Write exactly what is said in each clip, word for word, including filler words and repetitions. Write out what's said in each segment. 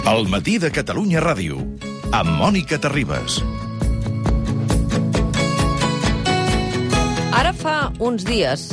El matí de Catalunya Ràdio, amb Mònica Terribas. Ara fa uns dies,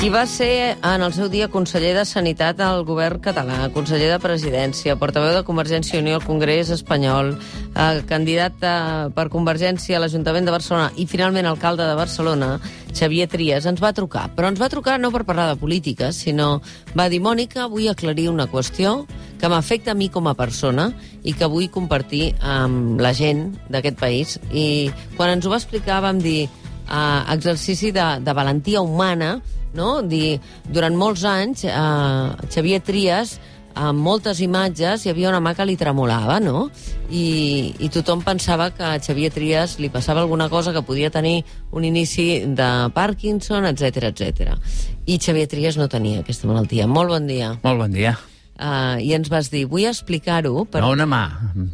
qui va ser en el seu dia conseller de Sanitat al govern català, conseller de Presidència, portaveu de Convergència i Unió al Congrés espanyol, eh, candidat a, per Convergència a l'Ajuntament de Barcelona i finalment alcalde de Barcelona, Xavier Trias, ens va trucar. Però ens va trucar no per parlar de política, sinó va dir: Mònica, vull aclarir una qüestió que m'afecta a mi com a persona i que vull compartir amb la gent d'aquest país. I quan ens ho va explicar vam dir eh, exercici de, de valentia humana, no? Dir, durant molts anys, eh, Xavier Trias, amb moltes imatges, hi havia una mà que li tremolava, no? I, i tothom pensava que a Xavier Trias li passava alguna cosa, que podia tenir un inici de Parkinson, etcètera, etcètera. I Xavier Trias no tenia aquesta malaltia. Molt bon dia. Molt bon dia. Uh, I ens vas dir, vull explicar-ho... Per... No una mà,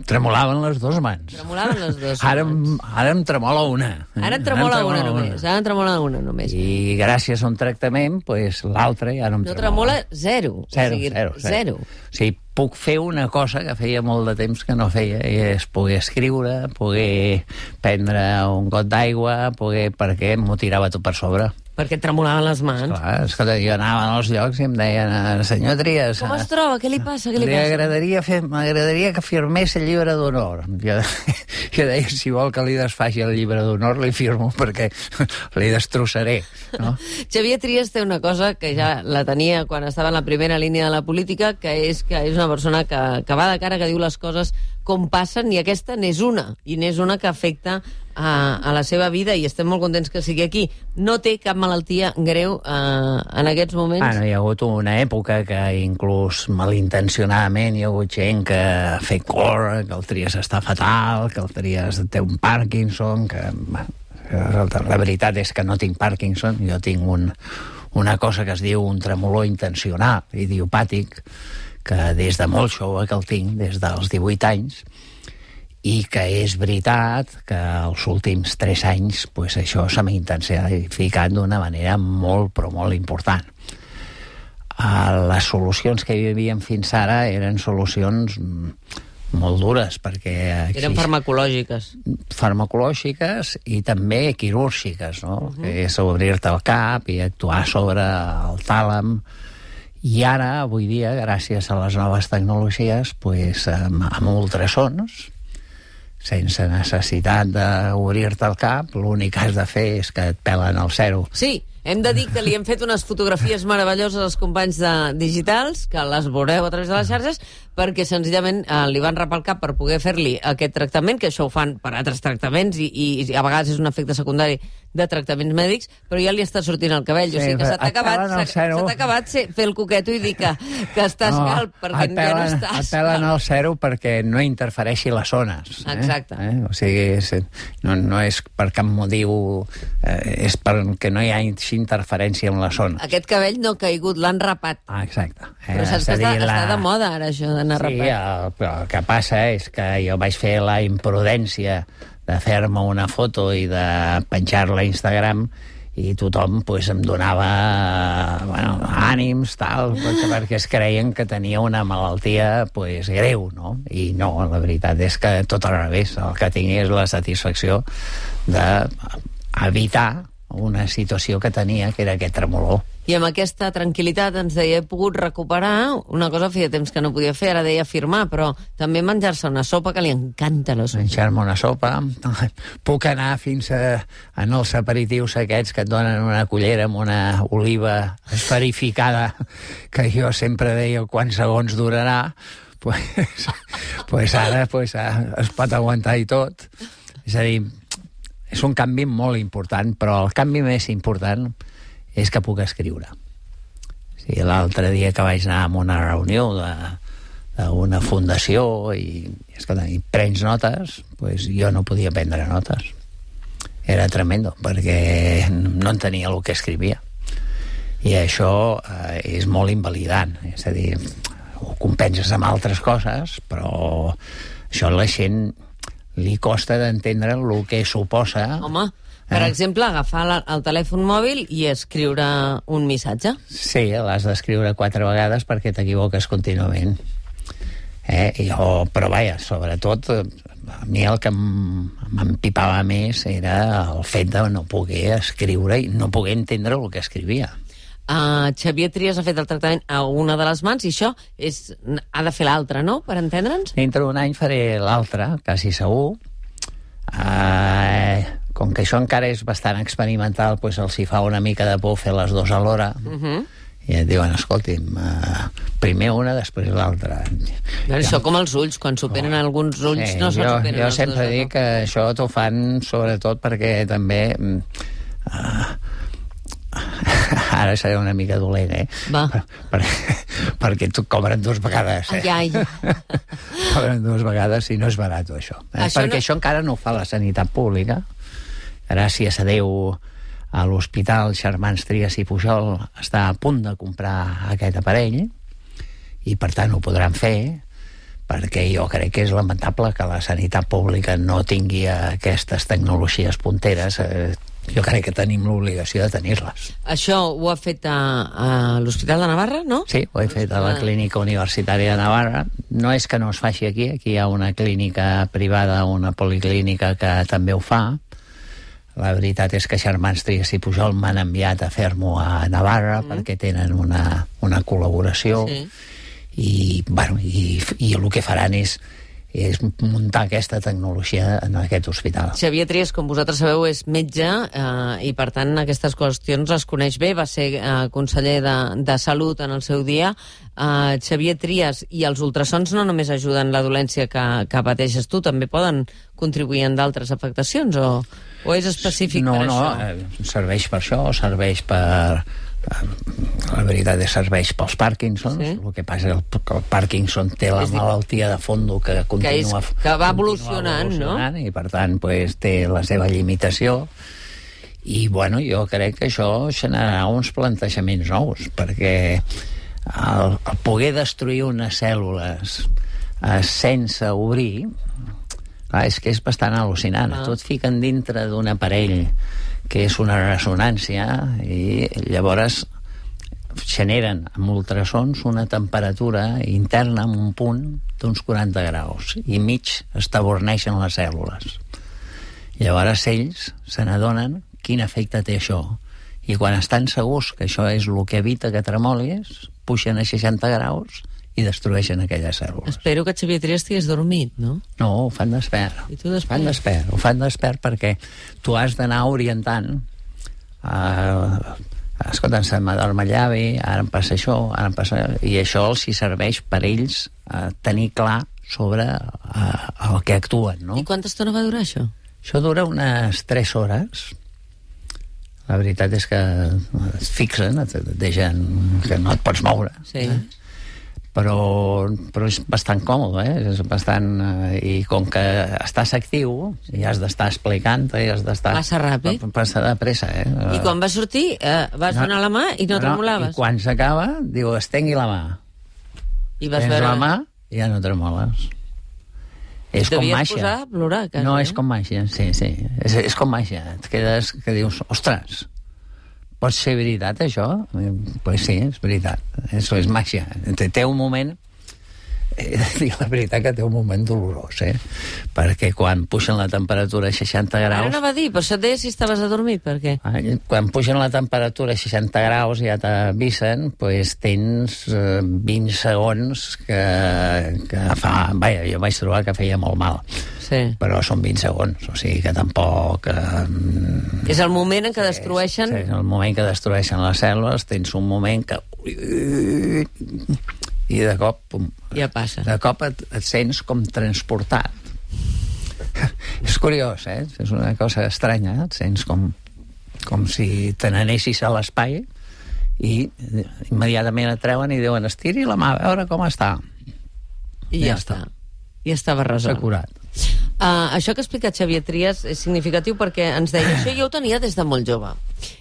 tremolaven les dues mans. Tremolaven les dues ara, mans. Ara em tremola una. Ara em tremola, ara em tremola una, una només. Ara em tremola una només. I gràcies a un tractament, pues, l'altre ja no em no tremola. No tremola zero. Zero, o sigui, zero, zero. zero. O sigui, puc fer una cosa que feia molt de temps que no feia, i és poder escriure, poder prendre un got d'aigua, poder... perquè m'ho tirava tot per sobre. Perquè et tremolaven les mans. Esclar, escolta, jo anava als llocs i em deien: senyor Trias... Com es troba? Què li passa? Què li, li passa? Agradaria fer, m'agradaria que firmés el llibre d'honor. Jo, jo deia, si vol que li desfaci el llibre d'honor, li firmo, perquè li destrossaré. No? Xavier Trias té una cosa que ja la tenia quan estava en la primera línia de la política, que és que és una persona que, que va de cara, que diu les coses com passen, i aquesta n'és una, i n'és una que afecta a, a la seva vida, i estem molt contents que sigui aquí. No té cap malaltia greu eh, en aquests moments? Bueno, hi ha hagut una època que inclús malintencionadament hi ha hagut gent que ha fet cor, que el Trias està fatal, que el Trias té un Parkinson, que... La veritat és que no tinc Parkinson, jo tinc un, una cosa que es diu un tremolor intencional, idiopàtic, que des de molt jove que el tinc, des dels divuit anys, i que és veritat que els últims tres anys pues, això s'ha intensificat d'una manera molt, però molt important. Uh, les solucions que hi havia fins ara eren solucions molt dures, perquè... Exist... Eren farmacològiques. Farmacològiques i també quirúrgiques, no? Uh-huh. Que és obrir-te el cap i actuar sobre el tàlam. I ara, avui dia, gràcies a les noves tecnologies, pues, amb, amb ultrasons, sense necessitat d'obrir-te el cap, l'únic que has de fer és que et pelen el zero. Sí, hem de dir que li hem fet unes fotografies meravelloses als companys de digitals, que les veureu a través de les xarxes, perquè senzillament eh, li van rapar el cap per poder fer-li aquest tractament, que això ho fan per altres tractaments, i, i a vegades és un efecte secundari de tractaments mèdics, però ja li està sortint el cabell. Sí, o sigui que se t'ha acabat, se t'ha acabat fer el coqueto i dir que, que estàs no, calp, perquè pelen, ja no estàs. Et pelen el zero perquè no interfereixi les zones. Eh? Exacte. Eh? O sigui, és, no, no és per cap motiu, eh, és perquè no hi ha interferència en la zona. Aquest cabell no ha caigut, l'han rapat. Ah, exacte. Eh, però saps que està, la... està de moda ara, això d'anar sí, rapat. El, però el que passa és que jo vaig fer la imprudència de fer-me una foto i de penjar-la a Instagram, i tothom pues, em donava bueno, ànims, tal, perquè es creien que tenia una malaltia pues, greu, no? I no, la veritat és que tot al revés. El que tinc és la satisfacció d'evitar una situació que tenia, que era aquest tremolor. I amb aquesta tranquil·litat ens deia, he pogut recuperar una cosa feia temps que no podia fer, ara deia firmar, però també menjar-se una sopa, que li encanta la sopa. Menjar-me una sopa. Puc anar fins a, en els aperitius aquests que et donen una cullera amb una oliva esferificada, que jo sempre deia quants segons durarà, pues, pues ara pues, es pot aguantar i tot. És a dir, és un canvi molt important, però el canvi més important és que puc escriure. Sí, l'altre dia que vaig anar a una reunió d'una fundació i, escolta, i prens notes, pues jo no podia prendre notes. Era tremendo, perquè no entenia el que escrivia. I això eh, és molt invalidant. És a dir, ho compenses amb altres coses, però això a la gent li costa d'entendre el que suposa... Home, per eh? exemple, agafar la, el telèfon mòbil i escriure un missatge. Sí, l'has d'escriure quatre vegades perquè t'equivoques contínuament. Eh? I jo, però vaja, sobretot, a mi el que m'empipava més era el fet de no poder escriure i no poder entendre el que escrivia. Uh, Xavier Trias ha fet el tractament a una de les mans i això és, ha de fer l'altra, no?, per entendre'ns? Dintre d'un any faré l'altra, quasi segur. Uh, com que això encara és bastant experimental, doncs els hi fa una mica de por fer les dues alhora. Uh -huh. I et diuen, escolti'm, uh, primer una, després l'altra. Bueno, això com els ulls, quan superen oh, alguns ulls sí, no se'n superen jo els dos. Jo sempre dic que això t'ho fan sobretot perquè també... Uh, ara seré una mica dolent, eh? Va. Per, per, perquè tu cobren dues vegades, eh? Ai, ai. Cobren dues vegades i no és barat, això. Eh? Això perquè no... això encara no ho fa la sanitat pública. Gràcies a Déu, a l'Hospital Germans Trias i Pujol està a punt de comprar aquest aparell i, per tant, ho podran fer, perquè jo crec que és lamentable que la sanitat pública no tingui aquestes tecnologies punteres. Eh, jo crec que tenim l'obligació de tenir-les. Això ho ha fet a, a l'Hospital de Navarra, no? Sí, ho he fet a la Clínica Universitària de Navarra. No és que no es faci aquí, aquí hi ha una clínica privada, una policlínica que també ho fa. La veritat és que Germans Trias i Pujol m'han enviat a fer-m'ho a Navarra mm. perquè tenen una, una col·laboració. Sí. I, bueno, i, i el que faran és és muntar aquesta tecnologia en aquest hospital. Xavier Trias, com vosaltres sabeu, és metge eh, i, per tant, aquestes qüestions les coneix bé. Va ser eh, conseller de, de Salut en el seu dia. Eh, Xavier Trias, i els ultrasons no només ajuden la dolència que, que pateixes tu, també poden contribuir en d'altres afectacions, o, o és específic no, per no, això? No, eh, serveix per això, serveix per... La veritat és que serveix pels Parkinsons. Sí. El que passa és que el Parkinson té la malaltia de fondo que continua, que, és, que va evolucionant, evolucionant, no? I per tant pues, té la seva limitació. I bueno, jo crec que això generarà uns plantejaments nous, perquè el, el poder destruir unes cèl·lules eh, sense obrir, clar, és que és bastant al·lucinant. Ah. Tot fiquen dintre d'un aparell que és una ressonància, i llavors generen amb ultrasons una temperatura interna en un punt d'uns quaranta graus, i mig es taborneixen les cèl·lules. Llavors ells se n'adonen quin efecte té això, i quan estan segurs que això és el que evita que tremolis, pugen a seixanta graus i destrueixen aquelles cèl·lules. Espero que Xavier Trias estigués dormit, no? No, ho fan despert. I tu despert? Fan despert. Ho fan despert perquè tu has d'anar orientant. Uh, escolta, se'm adorm el llavi, ara em passa això, ara em passa... I això els hi serveix per ells uh, tenir clar sobre uh, el que actuen, no? I quanta estona va durar això? Això dura unes tres hores. La veritat és que et fixen, et deixen que no et pots moure. Sí. Eh? Però, però és bastant còmode, eh? És bastant, eh, i com que estàs actiu i has d'estar explicant, i has d'estar... Passa ràpid. Passa de pressa, eh? I quan vas sortir, eh, vas no, donar la mà i no, no tremolaves? I quan s'acaba, diu, estengui la mà. I vas Tens veure... la mà i ja no tremoles. És com màgia. Devies posar a plorar, quasi, no, no? És com màgia, sí, sí. És, és com màgia. Et quedes que dius, ostres, pot ser veritat, això? Pues sí, és veritat. Això és màgia. Té un moment... He de dir la veritat que té un moment dolorós, eh? Perquè quan pugen la temperatura a seixanta graus... Ara no va dir, però això et deia si estaves adormit, per què? Quan pugen la temperatura a seixanta graus i ja t'avisen, doncs tens eh, vint segons que, que fa... Vaja, jo vaig trobar que feia molt mal. Sí. Però són vint segons, o sigui que tampoc... Eh, és el moment en què destrueixen... És, és el moment que destrueixen les cèl·lules, tens un moment que... I de cop... Pum, ja passa. De cop et, et sents com transportat. És curiós, eh? És una cosa estranya, et sents com, com si te n'anessis a l'espai i immediatament et treuen i diuen, estiri la mà, a veure com està. I ja, ja està. I estava resolt. S'ha curat. Uh, això que ha explicat Xavier Trias és significatiu perquè ens deia, això jo ho tenia des de molt jove.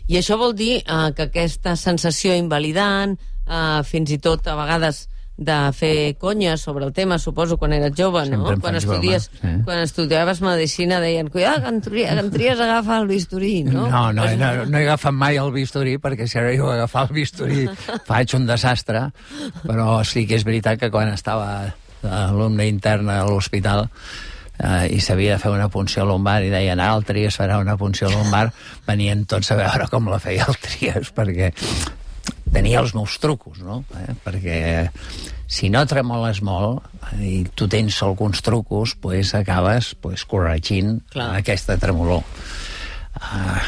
I això vol dir uh, que aquesta sensació invalidant, uh, fins i tot a vegades de fer conya sobre el tema, suposo, quan eres jove, no? Quan estudies, sí. Quan estudiaves medicina deien, cuidado, que en Trias, que en Trias agafa el bisturí, no? No, no, no, no he agafat mai el bisturí, perquè si ara jo agafar el bisturí faig un desastre, però sí que és veritat que quan estava alumne intern a l'hospital, Uh, i s'havia de fer una punció lumbar i deien, ah, el Tries farà una punció lumbar, venien tots a veure com la feia el Tries, perquè tenia els meus trucos, no? Eh? Perquè si no tremoles molt i tu tens alguns trucos, pues acabes pues, corregint Clar. aquesta tremolor. Uh,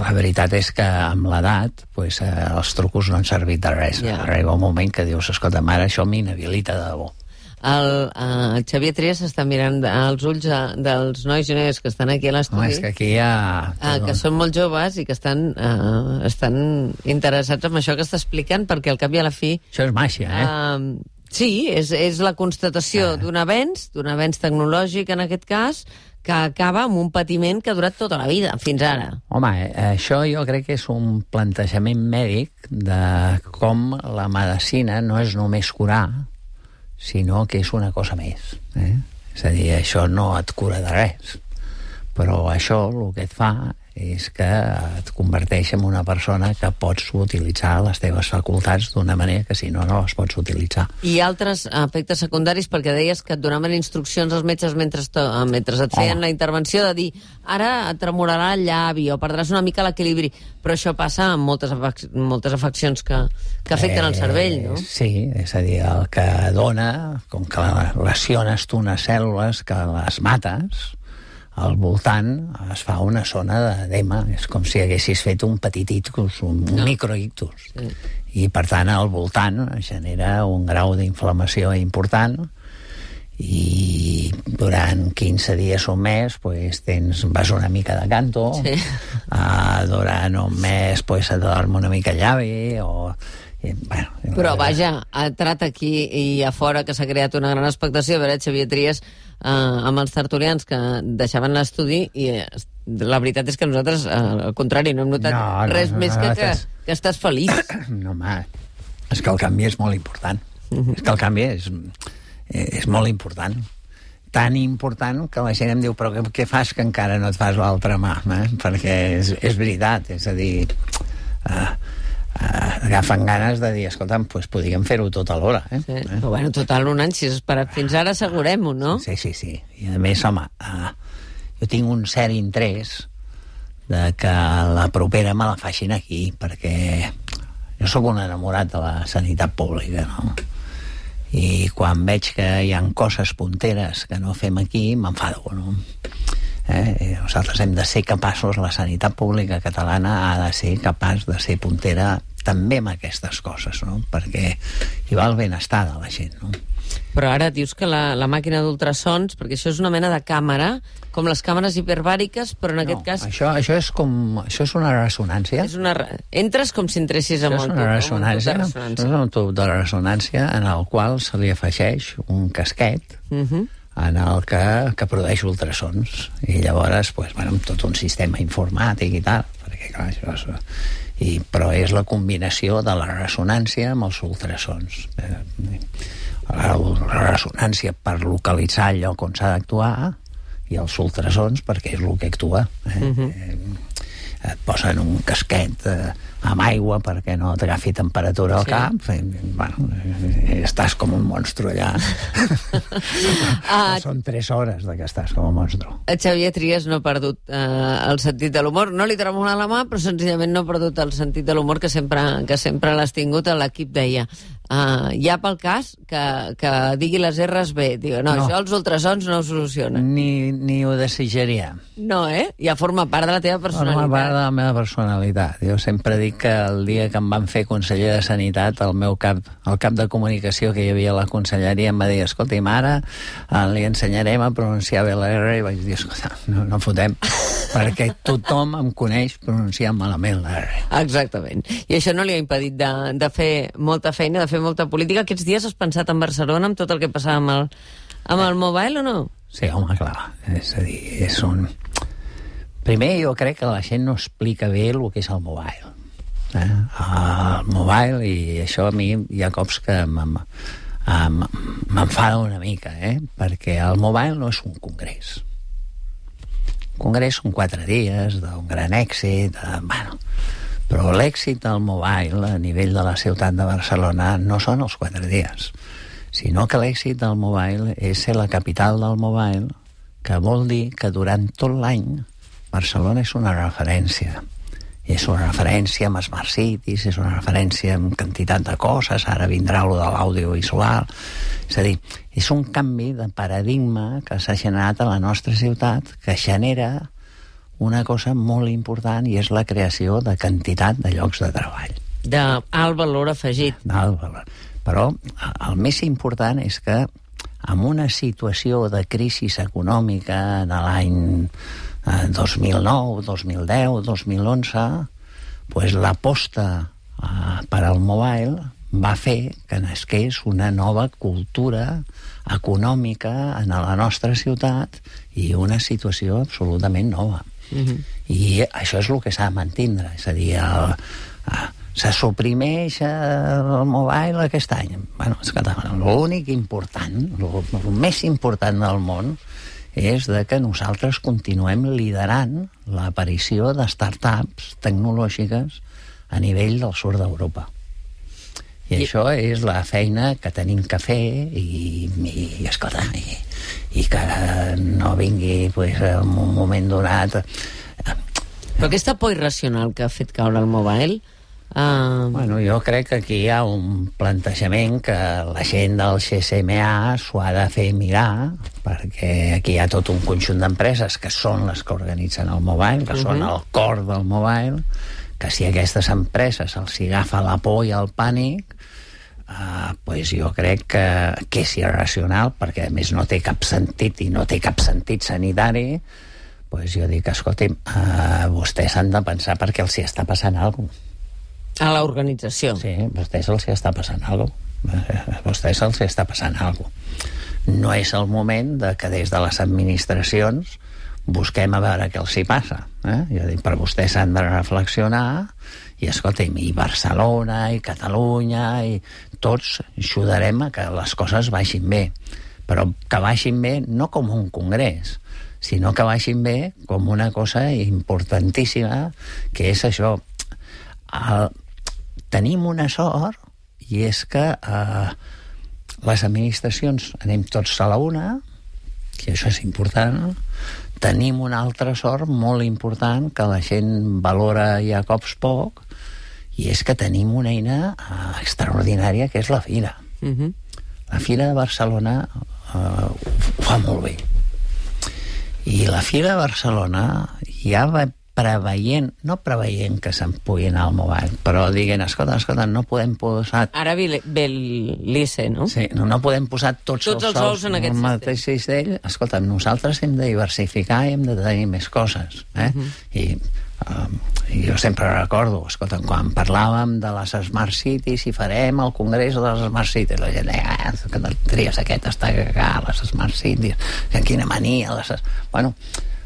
la veritat és que amb l'edat pues, uh, els trucos no han servit de res. Yeah. Arriba un moment que dius, escolta, mare, això m'inhabilita de debò. El, uh, el Xavier Trias està mirant als ulls uh, dels nois i noies que estan aquí a l'estudi. Home, és que aquí hi ha... Uh, que són molt joves i que estan, uh, estan interessats en això que està explicant, perquè al cap i a la fi... Això és màgia, eh? Uh, sí, és, és la constatació uh. d'un avenç, d'un avenç tecnològic en aquest cas, que acaba amb un patiment que ha durat tota la vida, fins ara. Home, eh, això jo crec que és un plantejament mèdic de com la medicina no és només curar, sinó que és una cosa més. Eh? És a dir, això no et cura de res, però això el que et fa és que et converteix en una persona que pots utilitzar les teves facultats d'una manera que si no, no les pots utilitzar. I altres efectes secundaris, perquè deies que et donaven instruccions als metges mentre, mentre et feien oh. la intervenció de dir, ara et tremorarà el llavi o perdràs una mica l'equilibri, però això passa amb moltes, afec moltes afeccions que, que afecten eh, el cervell, no? Sí, és a dir, el que dona, com que lesiones tu unes cèl·lules que les mates, al voltant es fa una zona d'edema, és com si haguessis fet un petit ictus, un, un no. microictus. Sí. I, per tant, al voltant genera un grau d'inflamació important i durant quinze dies o un mes pues, tens, vas una mica de canto, sí. uh, durant un mes pues, et dorm una mica el llavi, o... Bueno, però vaja, ha entrat aquí i a fora que s'ha creat una gran expectació a veure Xavier Trias eh, amb els tertulians que deixaven l'estudi i eh, la veritat és que nosaltres eh, al contrari, no hem notat no, no, res no, més no, que, no, que, estàs... que estàs feliç. No, home, és que el canvi és molt important. Uh-huh. És que el canvi és, és molt important. Tan important que la gent em diu, però què, què fas que encara no et fas l'altra mà? Eh? Perquè és, és veritat, és a dir... Eh, Uh, agafen ganes de dir, escolta'm, pues podríem fer-ho tot alhora, eh? Sí. eh? Però bueno, total, un any, si has esperat fins ara, assegurem-ho, no? Sí, sí, sí. I a més, home, uh, jo tinc un cert interès de que la propera me la facin aquí, perquè jo sóc un enamorat de la sanitat pública, no? I quan veig que hi ha coses punteres que no fem aquí, m'enfado, no? Eh? Nosaltres hem de ser capaços, la sanitat pública catalana ha de ser capaç de ser puntera també amb aquestes coses, no? Perquè hi va el benestar de la gent, no? Però ara dius que la, la màquina d'ultrasons, perquè això és una mena de càmera, com les càmeres hiperbàriques, però en no, aquest cas... Això, això, és com, això és una ressonància. És una, entres com si entressis amb el tub. Això és una ressonància, és un tub de ressonància en el qual se li afegeix un casquet uh-huh. en el que, que produeix ultrasons. I llavors, pues, bueno, tot un sistema informàtic i tal, perquè clar, això és... I, però és la combinació de la ressonància amb els ultrasons. La, la ressonància per localitzar el lloc on s'ha d'actuar i els ultrasons perquè és el que actua. Eh? Uh-huh. eh, et posen un casquet eh, amb aigua perquè no t'agafi temperatura al sí. cap, i, bueno, eh, estàs com un monstru allà. uh, Són tres hores de que estàs com un monstru. Xavier Trias no ha perdut eh, el sentit de l'humor, no li tremola la mà, però senzillament no ha perdut el sentit de l'humor que sempre, que sempre l'has tingut. A l'equip deia, uh, ja pel cas que, que digui les erres bé, diu, no, no, això els ultrasons no ho solucionen. Ni, ni ho desitjaria. No, eh? Ja forma part de la teva personalitat. Forma part de la meva personalitat. Jo sempre dic que el dia que em van fer conseller de Sanitat, el meu cap, el cap de comunicació que hi havia a la conselleria em va dir, escolta, ara eh, li ensenyarem a pronunciar bé la R, i vaig dir, escolta, no, no fotem, perquè tothom em coneix pronunciant malament la R. Exactament. I això no li ha impedit de, de fer molta feina, de fer molta política. Aquests dies has pensat en Barcelona, amb tot el que passava amb el, amb el mobile, o no? Sí, home, clar. És a dir, és un... Primer, jo crec que la gent no explica bé el que és el mobile. Eh? El mobile, i això a mi hi ha cops que m'enfada una mica, eh? Perquè el mobile no és un congrés. Un congrés són quatre dies d'un gran èxit, de, bueno, però l'èxit del mobile a nivell de la ciutat de Barcelona no són els quatre dies, sinó que l'èxit del mobile és ser la capital del mobile, que vol dir que durant tot l'any Barcelona és una referència. És una referència amb Smart Cities, és una referència amb quantitat de coses, ara vindrà lo de l'audiovisual. És a dir, és un canvi de paradigma que s'ha generat a la nostra ciutat, que genera una cosa molt important, i és la creació de quantitat de llocs de treball. D'alt valor afegit. D'alt valor. Però el més important és que en una situació de crisi econòmica de l'any dos mil nou, dos mil deu, dos mil onze, pues l'aposta eh, per al mobile va fer que nasqués una nova cultura econòmica en la nostra ciutat i una situació absolutament nova. Uh-huh. I això és el que s'ha de mantindre. És a dir, el, el, se suprimeix el mobile aquest any. Bueno, l'únic important, el més important del món, és de que nosaltres continuem liderant l'aparició de startups tecnològiques a nivell del sud d'Europa. I, I això és la feina que tenim que fer i, i escolta, i, i que no vingui pues, en un moment donat... Però aquesta por irracional que ha fet caure el mobile... Uh... Bueno, jo crec que aquí hi ha un plantejament que la gent del G S M A s'ho ha de fer mirar, perquè aquí hi ha tot un conjunt d'empreses que són les que organitzen el mobile, que uh-huh. són el cor del mobile, que si a aquestes empreses els agafa la por i el pànic, uh, pues jo crec que, que és irracional, perquè a més no té cap sentit i no té cap sentit sanitari, pues jo dic, escolti'm, uh, vostès han de pensar perquè els hi està passant alguna cosa. A l'organització. Sí, a vostès els hi està passant alguna cosa. A vostès els hi està passant alguna cosa. No és el moment de que des de les administracions busquem a veure què els hi passa. Eh? Jo dic, però vostès han de reflexionar i, escolta'm, i Barcelona, i Catalunya, i tots ajudarem a que les coses vagin bé. Però que vagin bé no com un congrés, sinó que vagin bé com una cosa importantíssima, que és això. El, tenim una sort, i és que eh, les administracions anem tots a la una, i això és important. Tenim una altra sort molt important que la gent valora ja a cops poc, i és que tenim una eina eh, extraordinària, que és la Fira. Uh-huh. La Fira de Barcelona eh, ho fa molt bé. I la Fira de Barcelona ja va preveient, no preveient que se'n pugui anar al mobile, però diguent, escolta, escolta, no podem posar... Ara ve l'I C E, no? Sí, no, no podem posar tots, tots els, els ous en aquest mateix cistell. Escolta, nosaltres hem de diversificar i hem de tenir més coses. Eh? Uh-huh. I, um, I jo sempre recordo, escolta, quan parlàvem de les Smart Cities i farem el congrés de les Smart Cities, la gent deia, ah, que tries aquest està a les Smart Cities, que quina mania. Les... Bueno,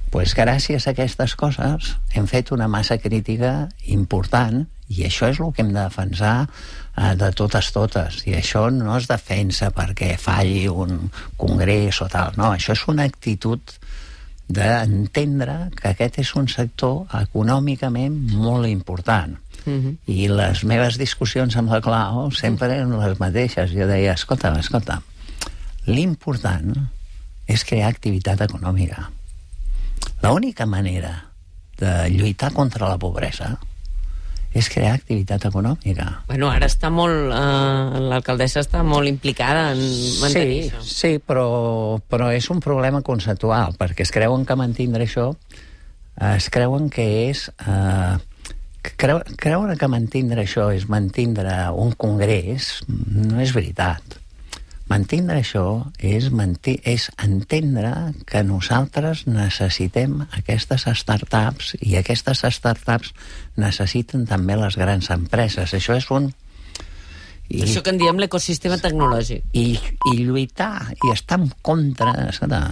pues gràcies a aquestes coses hem fet una massa crítica important, i això és el que hem de defensar eh, de totes totes, i això no es defensa perquè falli un congrés o tal, no, això és una actitud d'entendre que aquest és un sector econòmicament molt important. Uh-huh. I les meves discussions amb la Clau sempre eren les mateixes. Jo deia, escolta, escolta, l'important és crear activitat econòmica. L'única manera de lluitar contra la pobresa és crear activitat econòmica. Bueno, ara està molt... Eh, l'alcaldessa està molt implicada en mantenir sí, això. Sí, però, però és un problema conceptual, perquè es creuen que mantindre això, eh, es creuen que és... Eh, creu, creure que mantindre això és mantindre un congrés no és veritat. Mantindre això és, manti- és entendre que nosaltres necessitem aquestes startups, i aquestes startups necessiten també les grans empreses. Això és un... I, això que en diem l'ecosistema tecnològic. I, i lluitar, i estar en contra... Escolta,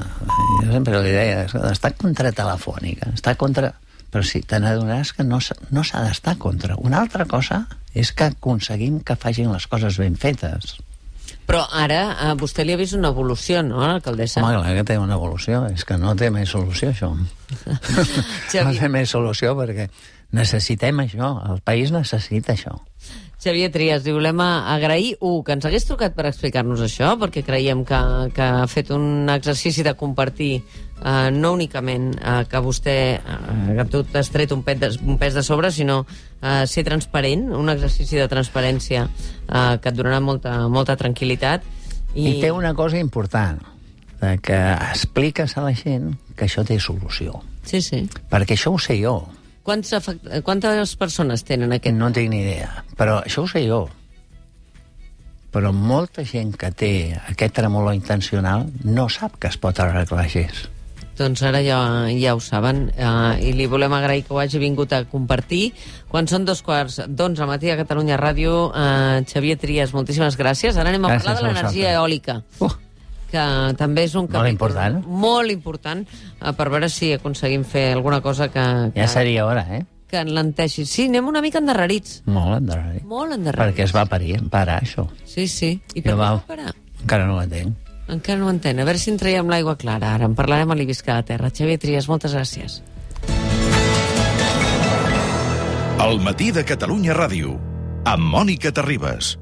jo sempre li deia, escolta, estar contra Telefònica, estar contra... Però sí, te n'adonaràs que no, no s'ha d'estar contra. Una altra cosa és que aconseguim que facin les coses ben fetes. Però ara a vostè li ha vist una evolució, no, l'alcaldessa? Home, clar que té una evolució. És que no té més solució, això. No té més solució perquè necessitem això, el país necessita això. Xavier Trias, li volem agrair, un, que ens hagués trucat per explicar-nos això, perquè creiem que, que ha fet un exercici de compartir, eh, no únicament eh, que vostè eh, que tu t'has tret un pes, de, un pes de sobre, sinó eh, ser transparent, un exercici de transparència eh, que et donarà molta, molta tranquil·litat. I... I té una cosa important, que expliques a la gent que això té solució. Sí, sí. Perquè això ho sé jo. Quants afect... Quantes persones tenen aquest? No tinc ni idea, però això ho sé jo. Però molta gent que té aquest tremolor intencional no sap que es pot arreglar així. Doncs ara ja, ja ho saben, uh, i li volem agrair que ho hagi vingut a compartir. Quan són dos quarts d'onze al matí a Catalunya Ràdio, uh, Xavier Trias, moltíssimes gràcies. Ara anem a gràcies parlar de l'energia eòlica. Uh. que també és un capítol molt important, molt important uh, per veure si aconseguim fer alguna cosa que... que ja seria hora, eh? Que enlenteixi. Sí, anem una mica endarrerits. Molt endarrerits. Molt endarrerits. Perquè es va parir, parar, això. Sí, sí. I per què va parar? Encara no ho entenc. Encara no ho entenc. A veure si en traiem l'aigua clara. Ara en parlarem a l'Ibisca de Terra. Xavier Trias, moltes gràcies. El matí de Catalunya Ràdio, amb Mònica Terribas.